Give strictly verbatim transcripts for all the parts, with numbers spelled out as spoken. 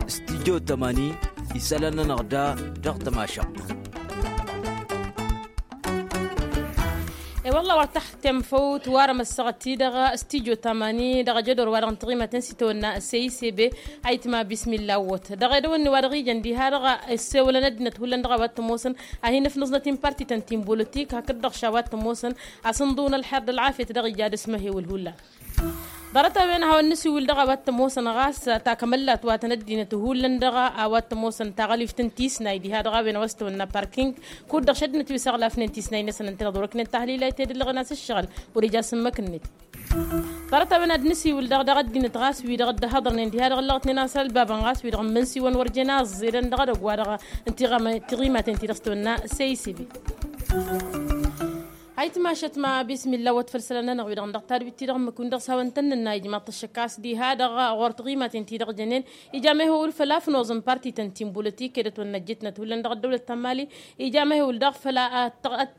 Stijjo tamani isălan-nănăɣ da dăɣ-tămašăɣt. I-wălla wăr taxtem făw tiwarăm ăssaɣăt-i-dăɣ stijjo tamani dăɣ-ajădor wa dăɣ-n tiɣimaten s-itawănna s-a i s b. Ayǝtma bismilla wăt dăɣ-edăwănni wa dăɣ-ijăn diha-dăɣ ăssewălăn ăddinăt hullan dăɣ-a-wa t-ămoosăn a hin-ǝfnǝẓnăt-in partităn ti n-bolotik hakd-dăɣ š-a-wa t-ămoosăn. Asǝnḍǝw n-ălxer d-ălɣafyăt dăɣ-ija d-asmăhewǝl hullan. Ḍarăt-a-wen a hawăn-nǝsiwǝl dăɣ-a-wa t-ămoosăn ɣas takămăllat wa tăn-ăddinăt hullan dăɣ-a-wa t-ămoosăn taɣălift n-tisnay diha dăɣ-a-wen a-wa s-tăwănna parking. Kud-dăɣ šăddinăt wi s-ăɣlafnen tisnay-năsăn ǝnta dăɣ-wăr-ăknen tahlila i-tedăllăɣăn a-s ǝššăɣǝl wăr-ija s-ǝmmǝk-net. Ḍarăt-a-wen ad-nǝsiwǝl dăɣ-dăɣ ăddinăt ɣas wi-dăɣ dd-ăhhăḍărnen diha-dăɣ ǝllăɣătnen a-s ălbabăn ɣas wi-dăɣ n-imǝnsiwăn wăr jen aẓẓedăn dăɣ-edăgg-wa-dăɣ n-tiɣimaten ti dăɣ-s tăwănna s-a i s b. Ayǝtma ašăt ma bismilla wăt făll-isălan-nănăɣ wi-dăɣ n-dăɣ-tadwit-ti-dăɣ ǝmmǝk-win dăɣ-s hawăn-tăn-nǝnna ijmaḍ-t ăššăk a-s diha-dăɣ ɣur-tăɣ imaten-ti-dăɣ jănen. Ija mehewǝl făll-afnoẓ n-parti tăn-ti n-bolotik edăt wănnăjjitnăt hullan dăɣ-ăddăwlăt ta n-mali. Ija mehewǝl daɣ făll-a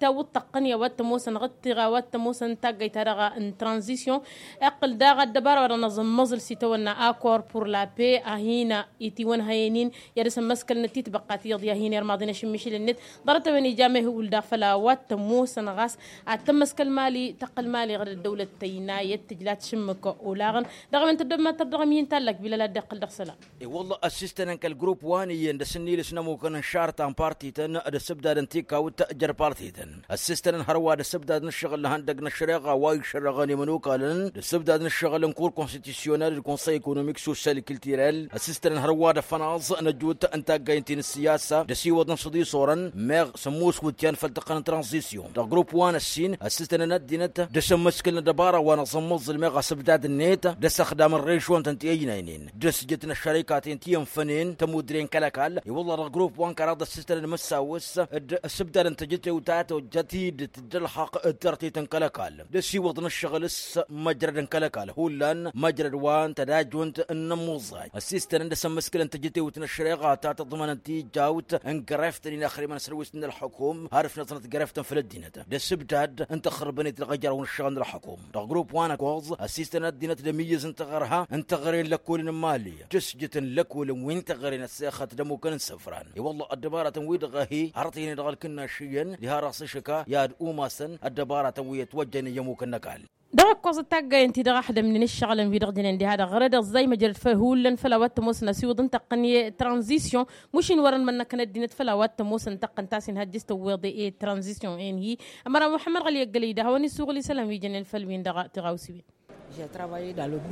tăwwǝḍ tăqqăn i-a-wa t-ămoosăn ɣǝttiɣ a-wa t-ămoosăn taggayt-ta-dăɣ n-tranzisyon. Iqqǝl daɣ ăddăbara wa dăɣ-năẓǝmmăẓǝl s-itawănna akor pur la pe a hin-itiwănhăyăn-in i-ad-dăr-s ămmăskălnăt titbăqqa ti iyyăḍ i-ad-hin-irmaḍen ašǝmmišǝl-net. Ḍarăt-a-wen ija mehewǝl daɣ făll-a-wa t-ămoosăn ɣas ad-tămmăskăl mali tăqqăl mali ɣǝd ăddăwlăt tăynayăt tǝjla tǝšǝmmǝk olaɣăn. Dăɣ-a-wen tăddobem ad-tărdăɣăm i-n-tallak bilal ad-dd-iqqǝl dăɣ-isălan. I-wălla ăssistănăn kăl-grupp wa n-iyyăn d-asǝnnilǝs n-ămmukăn n-šarta n-partităn d-asǝbdad n-tikawt jer-partităn ăssistănăn hărwa d-asǝbdad n-ǝššăɣǝl n-ihăndăg n-ăššăreɣa wa išărrăɣăn i-imănokalăn d-asǝbdad n-ǝššăɣǝl n-kur konstitusyonal d-konsăy ekonomik sosyal kiltirel. Ăssistănăn hărwa d-afănaẓ n-ăjut n-taggayǝn ti n-ǝssiyasa d-asiwăḍ n-asǝḍisorăn meɣ sămmus wǝtyan făll-tăqqăn n-tranzisyon dăɣ-grupp wa n-ăssin ăssistănăn ăddinăt d-asǝmmǝskǝl n-ăddăbara wa n-aẓǝmmǝẓǝl meɣ asǝbdad-net d-asăxdam n-režon-tăn ti-ăynaynen d-asǝjǝt n-ăššărikaten ti ănfănen tămudre n-kăl-ăkall. I-wălla dăɣ-grupp wa n-kăraḍ ăssistănăn măssawǝs d-asǝbdad n-tejătewt ta tojjăt-dd tǝddălxăq d-tartit n-kăl-ăkall d-asiwăḍ n-ǝššăɣǝl s-măjrăd n-kăl-ăkall hullan măjrăd wa n-tădajunt n-inǝmmuẓẓay ăssistănăn d-asǝmmǝskǝlăn tejătewt n-ăššăreɣa ta tăḍmănăn tijawt n-greft n-inaxrimăn s-ălwǝst n-ălxukum har ǝfnăẓnăt greft n-făll-ăddinăt d-asǝbdad n-tăxxărbăn-it dăɣ-ejăraw n-ǝššăɣǝl n-ălxukum. Dăɣ-grupp wa n-ăkkoẓ ăsistăn ăddinăt d-ămiyyǝz n-taɣărha n-taɣăre n-lăkkolăn n-imali d-asǝjǝt n-lăkkolăn wi n-taɣăre n-ăssexăt d-ămmukăn n-isǝfran i-wălla ăddăbaratăn-wi-dăɣ a hi-hărăt ihănen dăɣ-ălkǝnnaš iyyăn diha-dăɣ s-ašǝka i-ad-umasăn ăddăbaratăn wi ătwăjjănen i-ămmukăn n-ăkall. Dăɣ-ǝkkoẓăt taggayăn-ti-dăɣ a ăxdămnen ǝššăɣǝlăn-wi-dăɣ jănen diha-dăɣ ɣărăd ăẓẓay măjrăd făll-hullan făll-a-wa t-ămoosăn ăsiwǝḍ n-tăqqăn i-tranzisyon. Mušin wărăn mănnăkăn ăddinăt făll-a-wa t-ămoosăn tăqqăn ta s-inhăjjǝs tăwweḍe i-tranzisyon-en-hi. Ămăra muḥămmăd ɣăli ăggălăy d-ad-hawăn-isuɣǝl isălan wi jănen făll-win-dăɣ tiɣawsiwen.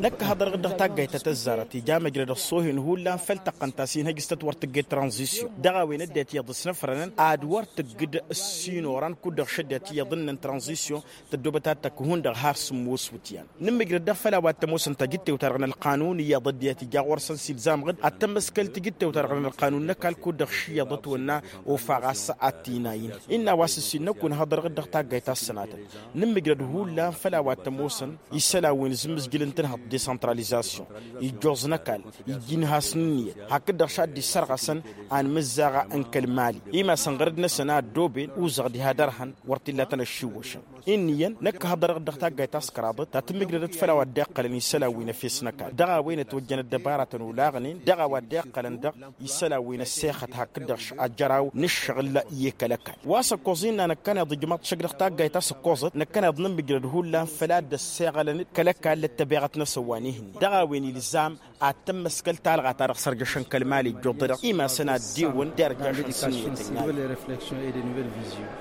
Năkk haḍărăɣ-dd dăɣ-taggayt ta tăzzarăt ija măjrăd ăṣṣoohen hullan făll-tăqqăn ta s-inhăjjǝs tăt-wăr tǝgg i-tranzisyon dăɣ-a-wen ăddinăt iyyăḍ s-năfrănăn ad-wăr tǝgg ǝssin oran kud-dăɣ šăddinăt iyyăḍ ǝnnăn tranzisyon. Tăddoobăt ad-tăkk hundăɣ har sǝmmos wǝtyan nǝmmǝjrăd-dăɣ făll-a-wa t-ămoosăn tajǝttewt-ta-dăɣ n-ălqanun iyyăḍ ăddinăt ija ɣur-săn s-ilzamăɣ-dd ad-tămmăskăl tajǝttewt-ta-dăɣ n-ălqanun n-ăkall kud-dăɣ šǝyyăḍăt wănna ofaɣ a-s ad-t-inayin. Innă a-wa s-ǝssin năkk wǝnhăḍărăɣ-dd dăɣ-taggayt ta s-sănatăn nǝmmǝjrăd hullan făll-a-wa t-ămoosăn isălan wi n-azǝmmǝzjǝl n-tǝnhăḍt desăntralizasyon ijjoẓ n-ăkall ija inhasăn ǝnniyăt hakd-dăɣ šaddi issărɣăsăn anmǝzzaɣ n-kăl-mali imasăn ɣărăd-năsăn a ăddooben uzăɣ diha dăr-hăn wăr t-illa a tăn-ăššiwwăšăn. Inn'-iyyăn năkk hăḍărăɣ-dd dăɣ-taggayt ta s-kăraḍăt ta tǝmmǝjrădăt făll-a-wa dd-iqqălăn isălan wi n-efes n-ăkall dăɣ-a-wen ătwăjjăn ăddăbaratăn olaɣnen dăɣ-a-wa dd-iqqălăn dăɣ-isălan wi n-ăssexăt hakd-dăɣ š-ajăraw n-ǝššăɣǝl i-kăl-ăkall. Wa s-ăkkoẓ innă năkkăneḍ ijmaḍ-t šăkk dăɣ-taggayt ta s-ǝkkoẓăt năkkăneḍ nǝmmǝjrăd hullan făll-a dd-ăsseɣălăn kăl-ăkall d-ăttăbeɣăt-năsăn wa n-ehǝnne dăɣ-a-wen ilzam ad-tămmăskăl talɣa ta dăɣ-sărjăšăn kăl-mali ǝjjuḍădăɣ imasăn ad-dewăn derjăšăn s-ǝnniyăt ănn-ad-dd-ewăn.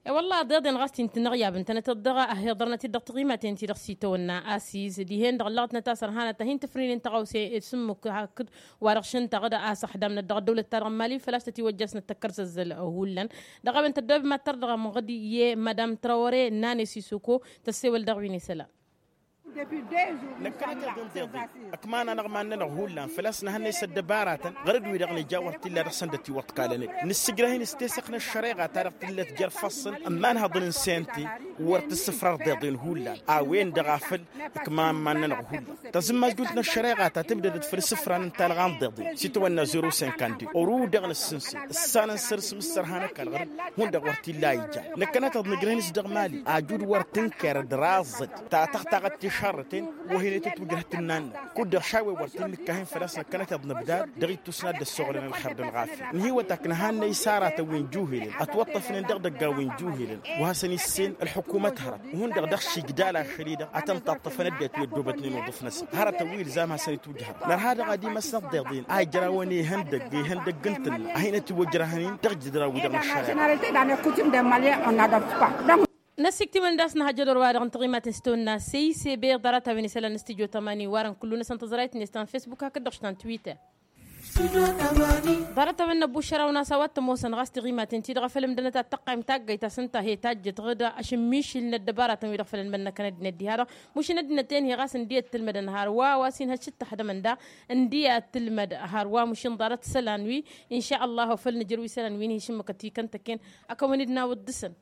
E-wălla a ăḍeḍen ɣas ti n-tinăɣyab ǝntănăteḍ dăɣ-a hi-iḍărnăt-dd dăɣ-tiɣimaten-ti-dăɣ s-itawănna asiz dihen-dăɣ ǝllăɣătnăt a-s ărhanăt ad-hin-tǝfrǝynen tăɣawse s-ǝmmǝk hakd wa-dăɣ šăn taɣǝd a-s ăxdamnăt dăɣ-ăddăwlăt-ta-dăɣ n-mali făl-a-s tătiwăjjasnăt tăkkăr s-ăzzăl hullan. Dăɣ-a-wen tăddoobem ad-tărdăɣăm ɣǝd i-madam trawăre n-anes isoko tăssewăl dăɣ-wi n-isălan. Năkkăneḍ-dd ǝnḍeḍe ǝkman-anăɣ iman-nănăɣ hullan făl-a-s nǝhănne s-ăddăbaratăn ɣărăd-wi-dăɣ nǝja wăr t-illa dăɣ-săn dd-ătiwăḍkalănen nǝssǝjrăh-in s-tesăɣt n-ăššăreɣa-ta-dăɣ tǝllăt jer-ifassăn ămmanhăḍăn n-sente. Wăr tǝssǝfrăr ăḍeḍen hullan a-wen-dăɣ a făl ǝkman iman-nănăɣ hullan tăẓǝmmajjult n-ăššăreɣa ta tǝbdădăt făll-isǝfran n-talɣa n-ḍeḍen s-itawănna zero cinquante-deux oru dăɣ-nǝssǝnse ǝssanăn săr-s mǝssărhan ăkall ɣǝr-dd hundăɣ wăr t-illa a ijan năkkăneḍ-dd nǝjrăh-in s-dăɣ mali ajud wăr tǝnker d-raẓăd ta tăxtaɣăt tiš. Karrăten wa hin-e-tǝtwǝjrăh tǝnnan-năk kud-dăɣ šawe wăr t-in-nǝkkahăn făl-a-s năkkănăteḍ n-ǝbdad dăɣ-ittus n-ad-dd-ăssoɣlăn ălxer d-ălɣafya. Ǝnhǝywăt aknăhannăy s-aratăn wi n-juhilăn ătwăṭṭăfnen dăɣ-idăggan wi n-juhilăn wa hasăn-issen ălḥukumăt hărăt. Hundăɣ dăɣ-išǝjdal ašăl-i-dăɣ ad-tăn-taṭṭăfăn ăddinăt wi ăddoobătnen uḍǝf-năsăn hărătăn wi ilzam hasăn-itwǝjhărăn nărha dăɣ-ad-imăsnăḍ deḍen a ijrawăn ihăndăgg ihăndăgg n-tǝnna a hin-ătiwăjrăhăn-in dăɣ-ijǝdran-wi-dăɣ n-ăššăreɣa. Năsiktimăn d-asnăhăjăd orwa-dăɣ n-tiɣimaten s-tawănna seyse beḍ arăt a-wen isălan n-stujo tămani warăn kullu-năsăn tăẓrayt-net ta n-fesbuk hakd-dăɣ ta n-twitter. Ḍarăt-a-wen năbbušăr-awăn a-s a-wa t-ămoosăn ɣas tiɣimaten-ti-dăɣ a făl ǝmdănăt ad-tăqqayǝm taggayt a-s ǝnta he-tajjăt ɣǝd ašǝmmišǝl n-ăddăbaratăn-wi-dăɣ făl ănmănnăkăn ăddinăt diha-dăɣ. Mušǝn ăddinăt-en-hi ɣas ǝndi ăttǝlmădăn hărwa wa s-inhăš s-ǝttăxdămăn da ǝndi ăttǝlmăd hărwa mušǝn ḍarăt isălan-wi. Inša ăllah wa făl nǝjrăw isălan wi n-hi-išǝmmǝkăt ikăntăken. Ad-kăwăn-dd-nawǝḍ dăɣ-săn.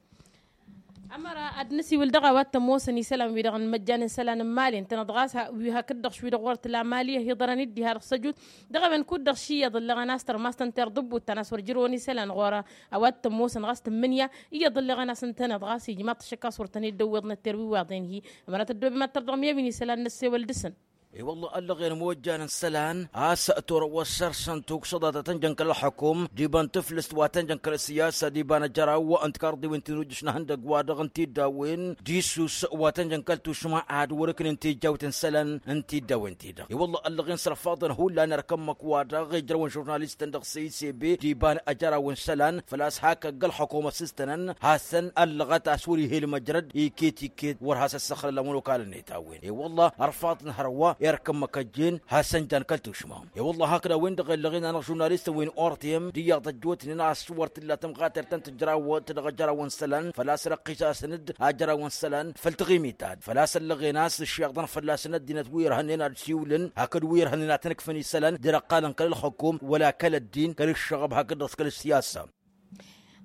Ămăra ad-năsiwǝl dăɣ-a-wa t-ămoosăn isălan-wi-dăɣ n-imăjjan n-isălan n-imali ǝntăneḍ ɣas wi hakd-dăɣ wi-dăɣ wăr t-la imali ăhiḍărăn-dd diha-dăɣ s-ăjut. Dăɣ-a-wen kud-dăɣ ši iyyăḍ ǝllăɣăn a-s tărmast ănter ḍǝbbut ta n-a-s wăr jărăwăn isălan ɣur-a-wa t-ămoosăn ɣas tǝmmǝnǝya iyyăḍ ǝllăɣăn a-s ǝntăneḍ ɣas ijmaḍ-t ašăk a-s wăr tăn-dd-ăwweḍ nătter wi iwaḍen-hi. Ămăra tăddoobem ad-tărdăɣ mi-a-wen isălan n-ăssewăl dăɣ-săn. E-wălla ăllăɣen imojjan n-isălan a-s torăwăssăr-săn tuksăḍa ta tănjăn kăl-ălxukum d-iba n-tǝflǝst wa tănjăn kăl-ăssiyasa d-iba n-ajăraw n-tikarḍiwen ti n-ujǝš n-ihăndăgg-wa-dăɣ n-tiddawin d-isus wa tănjăn kăl-tušma ad-wăr-ǝknen tijjawt n-isălan n-tiddawin-ti-dăɣ. E-wălla ăllăɣen s-ărfaḍăn hullan erk ǝmmǝk-wa-dăɣ ijrăwăn žurnalistăn dăɣ-săy s-ebe d-iba n-ajăraw n-isălan făl-a-s hak ăgg-ălxukum ăssistănăn hasăn-ăllăɣăt a-s wăr-ih'-e ălmăjrăd iket-iket wăr has-ăssăxlălăm ănokalăn-net a-wen. E-wălla ărfaḍăn hărwa erk ǝmmǝk ăjjeen hasăn-jan kăl-tušma. E-wălla hakd a-wen-dăɣ ellăɣen-anăɣ žurnalistăn wi n-ortem d-iyyăḍ ăjjootnen a-s wăr t-illa tămɣatert ta n-tǝjrawăt dăɣ-ajăraw n-isălan făl-a-s răqqis-asăn-dd ajăraw n-isălan făll-taɣimit ta-dd făl-a-s ăllăɣen a-s ǝššeɣḍăn fălla-săn ăddinăt wi irhănnen ad-siwlǝn hakd wi irhănnen ad-tăn-ǝkfǝn isălan d-irăqqalăn kăl-ălxukum wăla kăl-ăddin kăl-ǝššăɣăb hakd-dăɣ s-kăl-ăssiyasa.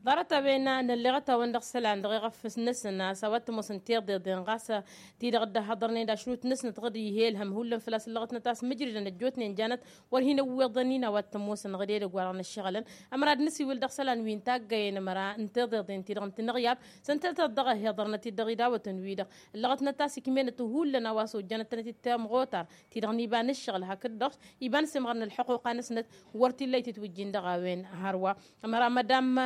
Ḍarăt-a-wen nălleɣăt-awăn dăɣ-isălan dăɣ-iɣăfǝs-năsăn a-s a-wa t-ămoosăn tiḍeḍen ɣas ti-dăɣ dd-ăhhăḍărnen d-ašrut-năsnăt ɣǝd ih'-e ǝlhăm hullan făl-a-s ǝllăɣătnăt a-s mǝjrǝdăn ăjjootnen janăt wăr hin-ăwweḍăn-in a-wa t-ămoosăn ɣǝd edăgg-wa-dăɣ n-ăššăɣǝlăn. Ămăra ad-nǝsiwǝl dăɣ-isălan wi n-taggayen ămăra n-tiḍeḍen-ti-dăɣ n-tinăɣyab s-ǝnta tăt-dăɣ-ăhiḍărnăt-dd dăɣ-idawătăn-wi-dăɣ ǝllăɣătnăt a-s ikmenăt hullan a-wa s-ojjanăt-tănăt-dd tamɣotar ti-dăɣ n-iba n-ǝššăɣǝl hakd-dăɣ iba n-semɣăr n-ălḥuquqa-năsnăt wăr t-illa itǝtwǝjjin dăɣ-a-wen. Hărwa ămăra madam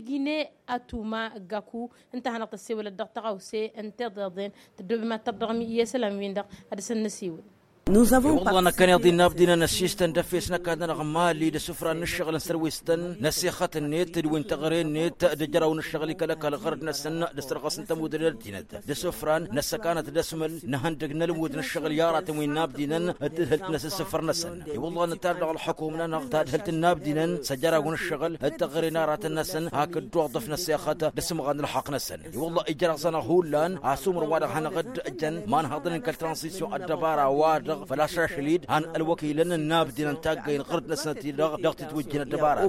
jigine atuma gaku ǝnta a hanăɣ-tăssewălăt dăɣ-tăɣawse n-tiḍeḍen tăddoobem ad-tărdăɣăm i-isălan-win-dăɣ ad-dăr-săn năsiwǝl. E-wălla năkkăneḍ-i n-abdinăn ăssiistăn d-efes n-ăkall-nănăɣ n-imali d-asǝfran n-ǝššăɣǝl n-sărwestăn n-ăssixăt-net d-wi n-teɣăre-net d-ajăraw n-ǝššăɣǝl ikăl-ăkall ɣărăd-năsăn d-asărɣăs n-tămudre n-ăddinăt d-asǝfran n-ăssăkanăt d-asmǝl n-ihăndăg n-ălwǝd n-ǝššăɣǝl i-aratăn wi n-abdinăn d-tadhǝlt n-asǝssǝfăr-năsăn. I-wălla nǝttar dăɣ-ălxukum-nănăɣ tadhǝlt n-abdinăn s-ajăraw n-ǝššăɣǝl d-teɣăre n-aratăn-năsăn hakd oḍăf n-ăssexăt d-asǝmɣan ălxăqq-năsăn. I-wălla ijrăẓ-anăɣ hullan asumăr-wa-dăɣ hanăɣ-dd-ǝjăn ma n-hăḍnen kăl-transition ăddăbara-wa-dăɣ făl-a-s ašăl-dd han ălwăkilăn n-abdinăn n-taggăyăn ɣǝrǝd-năsnăt-i-dăɣ dăɣ-titwǝjjin ăddăbara.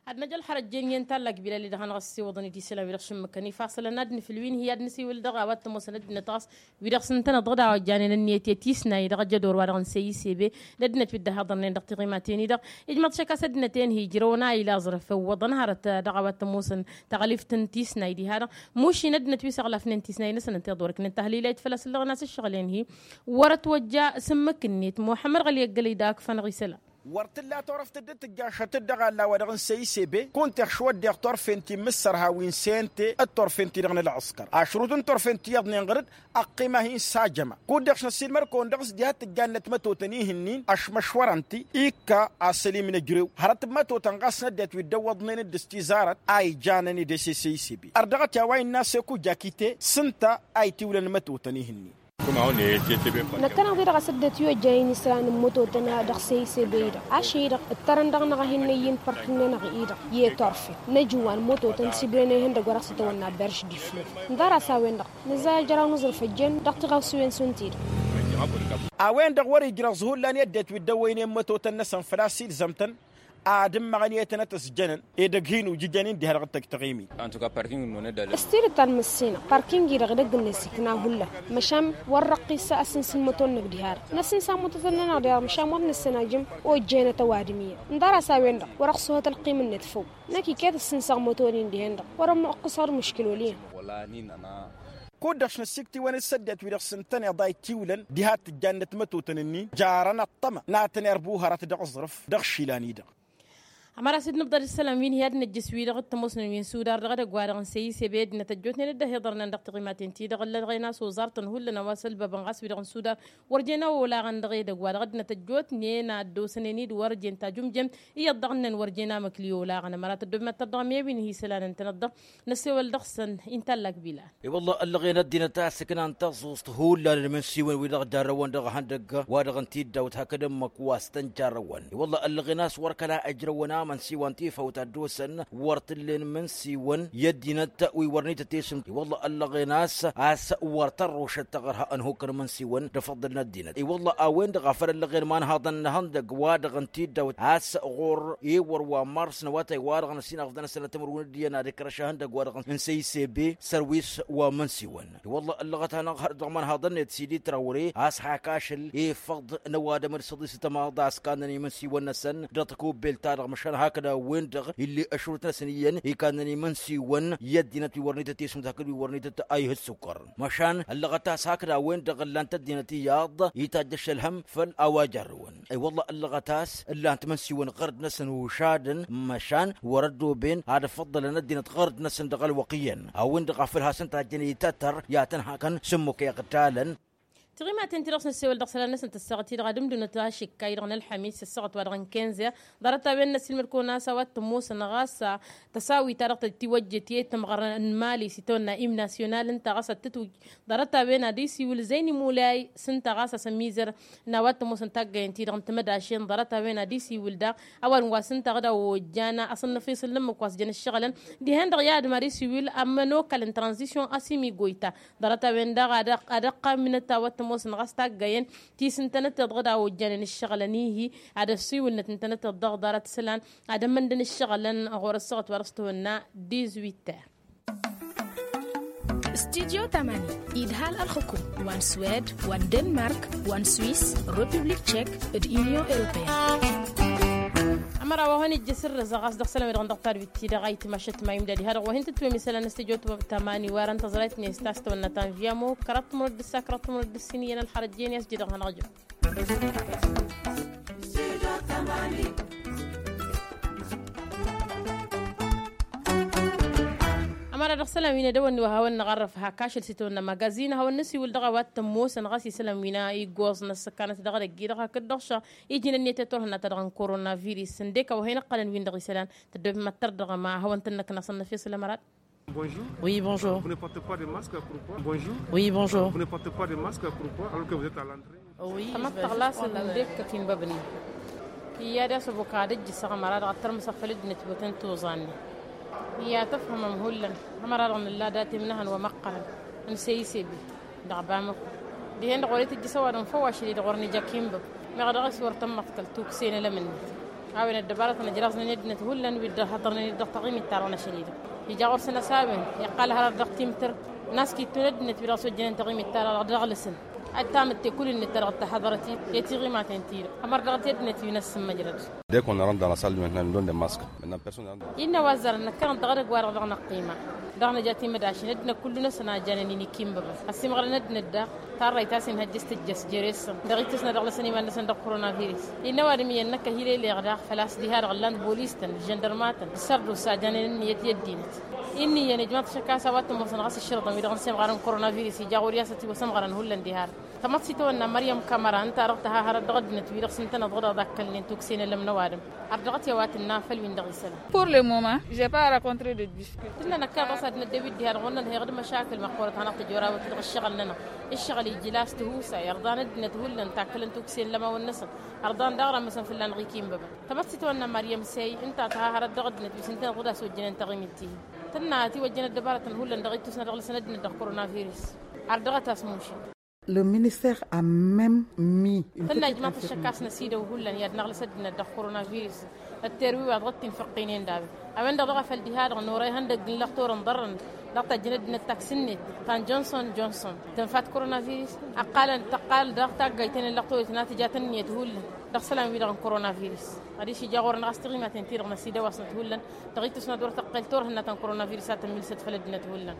Ad-năj ălxărăt jen i-ǝnta ăllak bilal-i-dăɣ hanăɣ-ăssewăḍăn-dd isălan wi-dăɣ šǝmmǝkăn ifassălăn ad-nǝfǝl wi n-hi-ad-nǝsiwǝl dăɣ-a-wa t-ămoosăn ăddinăt ɣas wi-dăɣ s-ǝntăneḍ dăɣ-daw ăjjanen ǝnniyăt i-tisnay dăɣ-ajădor-wa-dăɣ n-săy isebe d-ăddinăt wi dd-ăhhăḍărnen dăɣ-tiɣimaten-i-dăɣ. Ijmăḍ šăkk a-s ăddinăt-en-hi ǝjrăwăn a ila aẓrǝf ǝwwăḍăn hărăt dăɣ-a-wa t-ămoosăn taɣlǝft n-tisnay diha-dăɣ mušin ăddinăt wi s-ăɣlafnen tisnay-năsăn ǝnta i-ḍorăknen tahlila itfăl a-s ǝllăɣăn a-s ǝššăɣǝl-en-hi. Wăr-ătwăjja sǝmmǝk-net muḥămmăd ɣăli ăggălăy dak fănăɣ isălan. Wăr t-tǝlla turăft dd-tǝjjašăt-dd dăɣ-alla-wa-dăɣ n-săy isebe kunta ixšăw ăddeɣ turfen ti n-imǝssărha wi n-sente d-turfen-ti-dăɣ n-ălɣǝskăr ašrut n-turfen ti iyyăḍnen ɣăr-dd ăqqima-hin s-ajăma kud-dăɣ s-năssiilmăr-kăwăn dăɣ-s diha t-ǝjjannăt mătotăn ihǝnnin ăšmăšwărăn-t ikka asălim n-ejrew hărăt n-mătotăn ɣas n-ăddinăt wi dd-ăwwăḍnen d-ǝstizarăt a ijănăn-dd ese săy isebe ărdăɣăt i-a-wa innă a-s eku jakite s-ǝnta a itiwlăn mătotăn ihǝnnin. Năkkăneḍ-i-dăɣ a-s ăddinăt wi ojjăyăn isălan n-mătotăn dăɣ-săy isebe-i-dăɣ ašăl-i-dăɣ ǝttărăn dăɣ-năɣ a hin-năyy n-park-nănăɣ-i-dăɣ i-turfen năj iwan mătotăn s-ibren ihăndăgg wa dăɣ-s ătwănna berš d-ifluf. N-dăr-a-s a-wen-dăɣ nǝzza ajăraw n-aẓrǝf ăjjeen dăɣ-tiɣawsiwen šund-ti-dăɣ. A-wen-dăɣ wăr-ijrăẓ hullan i-ăddinăt wi dd-ăwwăynen mătotăn-năsăn făl-a-s ilzăm-tăn ad-ǝmmăɣăn i-tănăt-ăsjănăn edăgg hin-ujǝjăn-in diha-dăɣ d-tăgg-taɣimit. S-tidǝt ta n-măssinăɣ parking-i-dăɣ edăgg-net ikna hullan măšan wăr răqqis asǝns n-măto-năk diha-dăɣ năsǝnsa mătotăn-nănăɣ diha-dăɣ măšan wăr nǝssin ajǝm ojjenăt ăwadǝm iyyăn. N-dăr-a-s a-wen-dăɣ wăr-ăɣsuhăt ălqim-net făw. Năkk iket ǝssǝnsăɣ măto-nin dihen-dăɣ wăr-ămmuqqǝsăɣ d-mǝškǝl wăl' iyyăn. Kud-dăɣ šnăssiktiwăn s-săddinăt wi-dăɣ s-ǝntăneḍ a itiwlăn diha t-tǝjjannăt mătotăn-ǝnnin jarăn ăṭṭăma n-ad-tăn-irbuhărăt dăɣ-aẓrǝf dăɣ-išilan-i-dăɣ. Ămăra s-dd-nǝbḍăd isălan wi n-hi-ad-nǝjjǝs wi-dăɣ t-ămoosnăn wi n-sudar dăɣ-edăgg-wa-dăɣ n-săyise be ăddinăt ăjjootnen dd-ăhiḍărnen dăɣ-tiɣimaten-ti-dăɣ ǝllăɣen a-s oẓartăn hullan a-wa s-ălbăbăn ɣas wi-dăɣ n-sudar wăr jen a olaɣăn dăɣ-edăgg-wa-dăɣ ăddinăt ăjjootnen a ăddoosănen-dd wăr jen tajǝmjemt iyyăḍ dăɣ-năn wăr jen amǝkli olaɣăn ămăra tăddoobem ad-tărdăɣăm i-wi n-hi-isălan ǝntănăt-dăɣ. Năssewăl dăɣ-săn inta ăllak bilal. I-wălla ăllăɣen ăddinăt a ăssǝknan taẓuẓt hullan n-imǝnsiwăn wi-dăɣ jarrăwăn dăɣ-ihăndăgg wa-dăɣ n-tiddawt hakd ǝmmǝk wa s-tăn-jarrăwăn i-wălla ăllăɣen a-s wăr kăla ǝjrăwăn amǝnsiwăn tifawt a dd-osăn wăr t-ǝllen imǝnsiwăn i-ăddinăt wi wăr nităt isǝm i-wălla ăllăɣen a-s a-s wăr tărrušăt taɣărha ănhuk n-imǝnsiwăn d-afăḍḍǝl n-ăddinăt i-wălla a-wen-dăɣ a făl ăllăɣen imanhaḍăn n-ihăndăgg wa-dăɣ n-tiddawt a-s ɣur-ewăr wa n-mars n-awătay wa-dăɣ n-ăsinăɣfdăn ăsănăt timǝrwen d-iyyăn ad-ikrăš ihăndăgg wa-dăɣ n-săyse be săr-wi s-wa mǝnsiwăn i-wălla ăllăɣăt-anăɣ har dăɣ-imanhaḍăn-net sidi trawre a-s hak ašăl efăḍ n-ăwadǝm d-săḍisăt ămaḍa a-s kannăn imǝnsiwăn-năsăn dăɣ-tăkubbelt-ta-dăɣ măšan hakd a-wen-dăɣ ill'-e ăšrut-năsăn iyyăn ikannăn imǝnsiwăn i-ăddinăt wi wăr nităt isǝmǝt hakd wi wăr nităt a ih'-ǝssukăr măšan ăllăɣăt a-s hakd a-wen-dăɣ ǝllan-t ăddinăt iyyăḍ itajj ašăl hăm făll-a-wa jarrăwăn i-wălla ăllăɣăt a-s ǝllan-t imǝnsiwăn ɣărd-năsăn ušadăn măšan wăr-ăddooben ad-ăffăḍḍălăn ăddinăt ɣărd-năsăn dăɣ-ălwăqq iyyăn a-wen-dăɣ a făl hasăn-tajjăn itătăr i-ad-tăn-hakăn s-ǝmmuk iɣtalăn. Tiɣimaten-ti-dăɣ s-năssewăl dăɣ-isălan-năsăn tăssaɣăt-i-dăɣ ad-ǝmdǝwǝnăt ašǝkka-i-dăɣ n-ălḥămis ăssaɣăt-wa-dăɣ n-kinze ḍarăt-a-wen n-ăssiilmăd-kăwăn a-s a-wa t-ămoosăn ɣas tăsawit-ta-dăɣ tăt-tiwăjjet i-tǝmɣăr n-mali s-itawănna im nasyonal ǝnta ɣas ad-tǝtwǝj ḍarăt-a-wen ad-isiwǝl zăyni mulay s-ǝnta ɣas asămmizăr n-a-wa t-ămoosăn taggayăn-ti-dăɣ n-timădašen ḍarăt-a-wen ad-isiwǝl daɣ ăwadǝm wa s-ǝnta ɣǝd a ojjan asǝnnăfisǝl n-ǝmmǝk wa s-jăn ǝššăɣǝlăn dihen-dăɣ i-adǝm ad-isiwǝl ămmănokal n-tranzisyon asǝmigoyta ḍarăt-a-wen daɣ ad-ăqqamǝnăt a-wa t-ămoosăn ɣas taggayăn ti s-ǝntănăteḍ ɣǝd a ojjanen ǝššăɣǝlăn ihi ad-ăssiwǝlnăt ǝntănăteḍ dăɣ-ḍarăt isălan ad-ămmăndăn ǝššăɣǝlăn ɣur-ăssaɣăt wa dăɣ-s tihunna. Dizwiter. Studyo tamani idhal ălxukum wa n-swed wa n-denmark wa n-swiss republik tchek d-unyon europeen. Ămăra wa hăn ijjǝs ǝrrǝzăɣ a-s dăɣ-isălan wi-dăɣ n-dăɣ tadwit-ti-dăɣ a itmašăt ma imdad iha-dăɣ wa hin-tǝtwem isălan n-studyo tamani warăn tăẓrayt-net ta s-tawănna ta n-vyamo kăraḍ timǝrǝd d-ǝssa kăraḍ timǝrǝd d-ǝssin iyyăn ălxărăt jen i-as-dd-idăɣ hanăɣ-jăm. Ămăra dăɣ-isălan wi n-edăwănni wa hawăn-năɣarrăf hak ašăl s-itawănna magazin hawăn-năsiwǝl dăɣ-a-wa t-ămoosăn ɣas isălan wi n-iggoẓ n-ăssăkanăt dăɣ-edăgg-i-dăɣ hakd dăɣ-šăɣ iji n-ănniyăt i-turhǝnna ta dăɣ-n korona virus ǝndek a-wa hin-ǝqqălăn wi n-dăɣ isălan tăddoobem ad-tărdăɣăm a hawăn-tăn-năknasăn n-efes lămărat. Bonjour. Oui, bonjour. Vous ne portez pas de masque, pourquoi? Bonjour. Oui, bonjour. Vous ne portez pas de masque, pourquoi, alors que vous êtes à l'entrée? Oui, tămăḍt tăɣlasăt n-dekkăt inbăbnen. Iyyăd i-asăbok ad-ǝjjǝsăɣ ămăra-dăɣ ad-tărmǝsăɣ făll-ăddinăt wi-otăn tuẓannen. Iyyăd tǝfhǝmăm hullan ămăra-dăɣ nǝlla datem n-ehăn wa măqqărăn n-seyse be dăɣ-bamăko. Dihen-dăɣ wăr-itǝjjǝs ăwadǝm făw ašăl-i-dăɣ wăr nǝja kinbăb meɣ dăɣ-s wăr tămmăḍkăl tukse n-elămǝnnet. A-wen ăddăbarătăn ăjraẓnen i-ăddinăt hullan wi dd-ăhhăḍărnen-dd dăɣ-taɣimit-ta-dăɣ n-ašăl-i-dăɣ ija ɣur-săn ăsaben iqqal hărăt dăɣ-timtǝr. N-askittu n-ăddinăt wi dăɣ-s ojjănen taɣimit-ta-dăɣ dăɣ-lăsăn ad-tamǝtte kull-net ta dăɣ-dd-tahăḍărăt i-tiɣimaten-ti-dăɣ. Ămăr dăɣ-t i-ăddinăt wi n-ăssǝmmăjrăd. Dek wănna rămḍan asal mihăn n-londăn mask. Mănna person. Innă wa ăzzarăn năkkănăt dăɣ-edăgg-wa-dăɣ dăɣ-năqqima dăɣ-năja timădašin ăddinăt kullu-năsăn a janen-in ikimbăbăn ăsimɣălăn ăddinăt daɣ. Tarrăyt a-s inhăjjăs tǝjjăs jere-săn dăɣ-itǝsnă dăɣ-lăsăn iman-năsăn dăɣ-koronavirus. Innă ăwadǝm iyyăn năkk ăhilăyleɣ daɣ făl-a-s diha-dăɣ ǝllan-t bolis-tăn ǝžžăndărma-tăn d-sărdusa a janen ǝnniyăt i-ăddinăt. Inn'-iyyăn ijmaḍ-t ašăk a-s a-wa t-ămoosăn ɣas ǝššărǝḍăn wi-dăɣ n-semɣarăn koronavirus ija ɣur-i a-s ătiwăsămɣărăn hullan diha-dăɣ. Tămăḍt s-itawănna măryăm kamăra ǝnta a dăɣ-tăha hărăt dăɣ-ăddinăt wi-dăɣ s-ǝntăneḍ ɣur-dăɣ d-akkălnen tukse n-elăm n-ăwadǝm. Ărdăɣăt i-a-wa tǝnna făll-win-dăɣ isălan. Pour le moment, j'ai pas rencontré de difficulté. Tǝnna năkk a ɣas ad-năddewit diha-dăɣ wăr nǝnhăyăɣ d-măšakǝl măqqoorăt hanăɣ-tǝjor a-wa t-dăɣ-ǝššăɣǝl-nănăɣ. Ǝššăɣǝl ijǝl a-s tihusay ărḍan ăddinăt hullan takkălăn tukse n-elăm a-wen-năsăn. Ărḍan daɣ rămmăsăn fălla-năɣ ikinbăbăn. Tămăḍt s-itawănna măryăm sey ǝnta a tăha hărăt dăɣ-ăddinăt wi s-ǝntăneḍ ɣǝd a-s ojjănen taɣimit-ti-hi. Tǝnna ătiwăjjăn ăddăbarătăn hullan dăɣ-ittusna dăɣ-lăsăn ăddinăt dăɣ-koronavirus. Ardăɣăt a-s mušin. Le minister a même mis. Tănna ijmaḍ-t ăššăk a-s năsidăw hullan i-ad-năɣlăs ăddinăt dăɣ-koronavirus. Ătterwi wa dăɣ-t-infăqqinen dabe a-wen-dăɣ dăɣ-a făl diha-dăɣ n-orăy ihăndăgg n-lăxtor n-ḍarrăn dăɣ-tajjănăd-năt taksǝnnet ta n-johnson johnson tǝnfat koronavirus. Ăqqalăn tăqqal dăɣ-taggayten n-lăxtor itnatǝjat ǝnniyăt hullan dăɣ-isălan-wi-dăɣ n-koronavirus. Adiš ija ɣur-năɣ a-s tiɣimaten-ti-dăɣ n-asida wa s-năt hullan dăɣ-itǝsnăt wăr tăqqel turhǝnna ta n-koronavirus a tămmilsăt făll-ăddinăt hullan.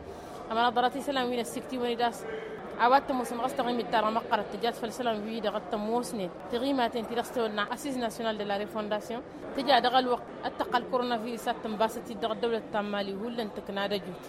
Ămăra ḍarăt isălan wi n-ăssiktǝwăn-dd a-s a-wa t-ămoosăn ɣas taɣimit-ta-dăɣ măqqărăt tǝjat făll-isălan-wi-dăɣ a t-ămoosnen tiɣimaten-ti-dăɣ s-tăwănna assiz nasyonal de la refondasyon. Tǝja dăɣ-ălwăqq ăttăqqal koronavirus a t-tǝnbasăt-dd dăɣ-ăddăwlăt ta n-mali hullan tǝkna d-ăjut.